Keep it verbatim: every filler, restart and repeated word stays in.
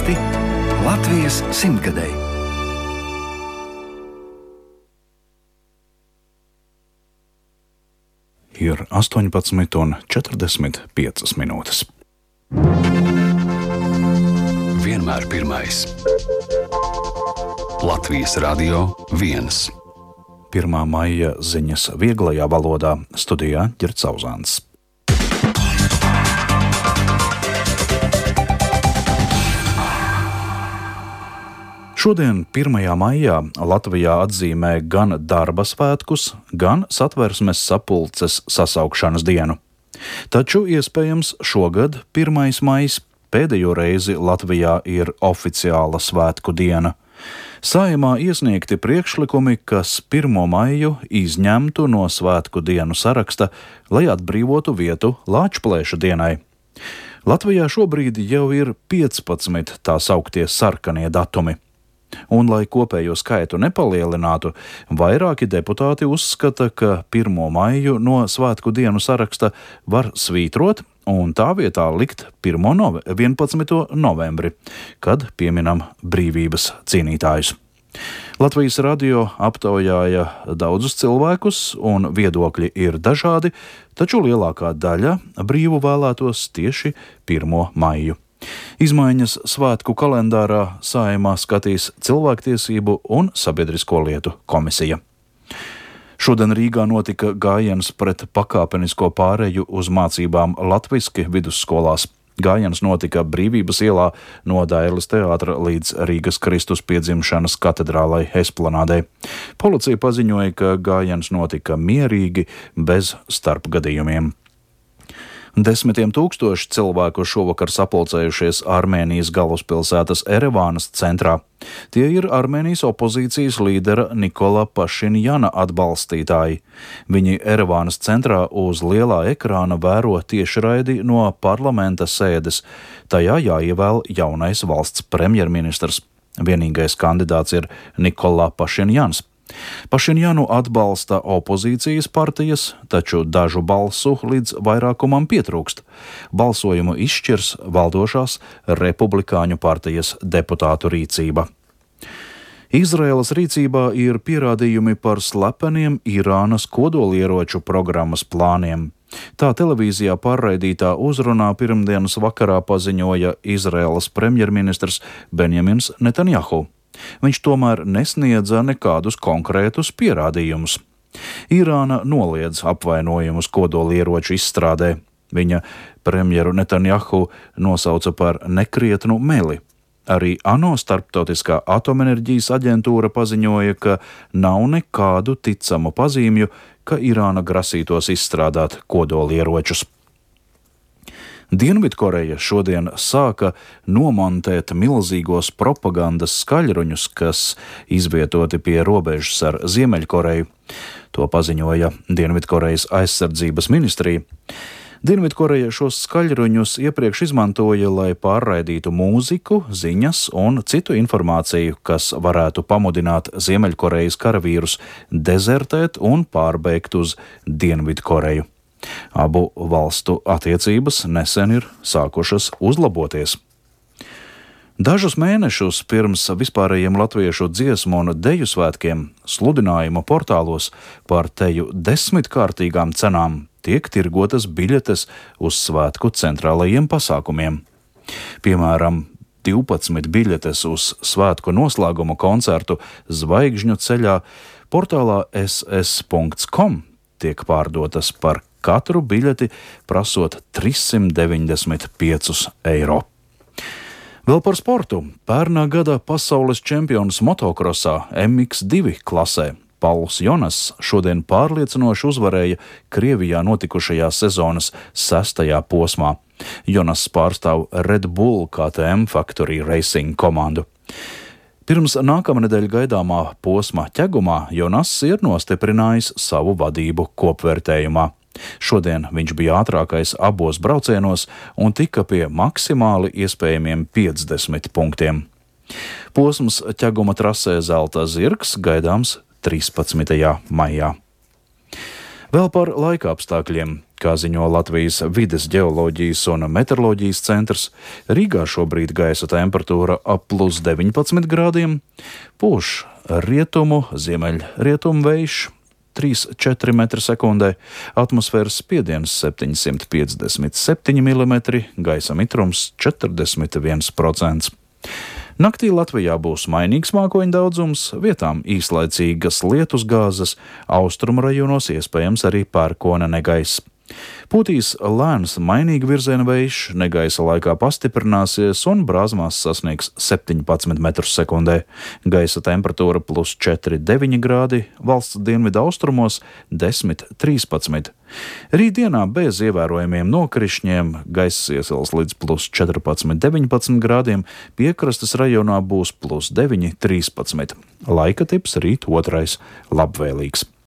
Stāsti Latvijas simtgadēji. Ir astoņpadsmit un četrdesmit piecas minūtes. Vienmēr pirmais. Latvijas Radio viens. pirmā maija ziņas vieglajā valodā, studijā Ģerts Zauzāns. Šodien, pirmajā maijā, Latvijā atzīmē gan darba svētkus, gan Satversmes sapulces sasaukšanas dienu. Taču, iespējams, šogad, pirmais maijs, pēdējo reizi Latvijā ir oficiāla svētku diena. Saeimā iesniegti priekšlikumi, kas pirmo maiju izņemtu no svētku dienu saraksta, lai atbrīvotu vietu Lāčplēša dienai. Latvijā šobrīd jau ir piecpadsmit tā sauktie sarkanie datumi. Un, lai kopējo skaitu nepalielinātu, vairāki deputāti uzskata, ka pirmo maiju no svētku dienu saraksta var svītrot un tā vietā likt vienpadsmito novembri, kad pieminam brīvības cīnītājus. Latvijas radio aptaujāja daudzus cilvēkus, un viedokļi ir dažādi, taču lielākā daļa brīvu vēlētos tieši pirmo maiju. Izmaiņas svētku kalendārā Saeimā skatīs Cilvēktiesību un sabiedrisko lietu komisija. Šodien Rīgā notika gājiens pret pakāpenisko pāreju uz mācībām latviski vidusskolās. Gājiens notika Brīvības ielā no Dairles teātra līdz Rīgas Kristus piedzimšanas katedrālai Esplanādei. Policija paziņoja, ka gājiens notika mierīgi, bez starpgadījumiem. Desmitiem tūkstoši cilvēku šovakar sapulcējušies Armēnijas galvaspilsētas Erevānas centrā. Tie ir Armēnijas opozīcijas līdera Nikola Pašinjana atbalstītāji. Viņi Erevānas centrā uz lielā ekrāna vēro tiešraidi no parlamenta sēdes. Tajā jāievēl jaunais valsts premjerministrs. Vienīgais kandidāts ir Nikola Pašinjans. Pašinjanu atbalsta opozīcijas partijas, taču dažu balsu līdz vairākumam pietrūkst. Balsojumu izšķirs valdošās republikāņu partijas deputātu rīcība. Izraēlas rīcībā ir pierādījumi par slepeniem Irānas kodolieroču programmas plāniem. Tā televīzijā pārraidītā uzrunā pirmdienas vakarā paziņoja Izraēlas premjerministrs Benjamins Netanjahu. Viņš tomēr nesniedza nekādus konkrētus pierādījumus. Irāna noliedz apvainojumus kodolieroču izstrādē. Viņa premjeru Netanjahu nosauca par nekrietnu meli. Arī ANO starptautiskā atomenerģijas aģentūra paziņoja, ka nav nekādu ticamu pazīmju, ka Irāna grasītos izstrādāt kodolieročus. Dienvidkoreja šodien sāka nomontēt milzīgos propagandas skaļruņus, kas izvietoti pie robežas ar Ziemeļkoreju. To paziņoja Dienvidkorejas aizsardzības ministrija. Dienvidkoreja šos skaļruņus iepriekš izmantoja, lai pārraidītu mūziku, ziņas un citu informāciju, kas varētu pamudināt Ziemeļkorejas karavīrus dezertēt un pārbēgt uz Dienvidkoreju. Abu valstu attiecības nesen ir sākušas uzlaboties. Dažus mēnešus pirms vispārējiem latviešu dziesmu un deju svētkiem sludinājuma portālos par teju desmitkārtīgām cenām tiek tirgotas biļetes uz svētku centrālajiem pasākumiem. Piemēram, divpadsmit biļetes uz svētku noslēguma koncertu Zvaigžņu ceļā portālā es es punkts com tiek pārdotas par katru biļeti prasot trīssimt deviņdesmit piecus eiro. Vēl par sportu. Pērnā gada pasaules čempions motokrosā em iks divi klasē Pauls Jonas šodien pārliecinoši uzvarēja Krievijā notikušajā sezonas sestajā posmā. Jonas pārstāv Red Bull K T M Factory Racing komandu. Pirms nākamnedēļ gaidāmā posma ķegumā Jonas ir nostiprinājis savu vadību kopvērtējumā. Šodien viņš bija ātrākais abos braucienos un tika pie maksimāli iespējamiem piecdesmit punktiem. Posms ķeguma trasē Zelta zirgs gaidāms trīspadsmitajā maijā. Vēl par laika apstākļiem. Kā ziņo Latvijas vides ģeoloģijas un meteoroloģijas centrs, Rīgā šobrīd gaisa temperatūra ap plus deviņpadsmit grādiem, pūš rietumu, ziemeļrietumu vējš trīs līdz četri metri sekundē, atmosfēras spiediens septiņsimt piecdesmit septiņi milimetri, gaisa mitrums četrdesmit viens procents. Naktī Latvijā būs mainīgs mākoņu daudzums, vietām īslaicīgas lietusgāzes, austrumu rajonos iespējams arī pērkona negaiss. Pūtīs lēns mainīga virziena vējš, negaisa laikā pastiprināsies un brāzmās sasniegs septiņpadsmit metrus sekundē. Gaisa temperatūra plus četri deviņi grādi, valsts dienvidu austrumos desmit trīspadsmit. Rītdienā bez ievērojamiem nokrišņiem gaiss iesils līdz plus četrpadsmit deviņpadsmit grādiem, piekrastes rajonā būs plus deviņi trīspadsmit. Laika tips rīt otrais labvēlīgs.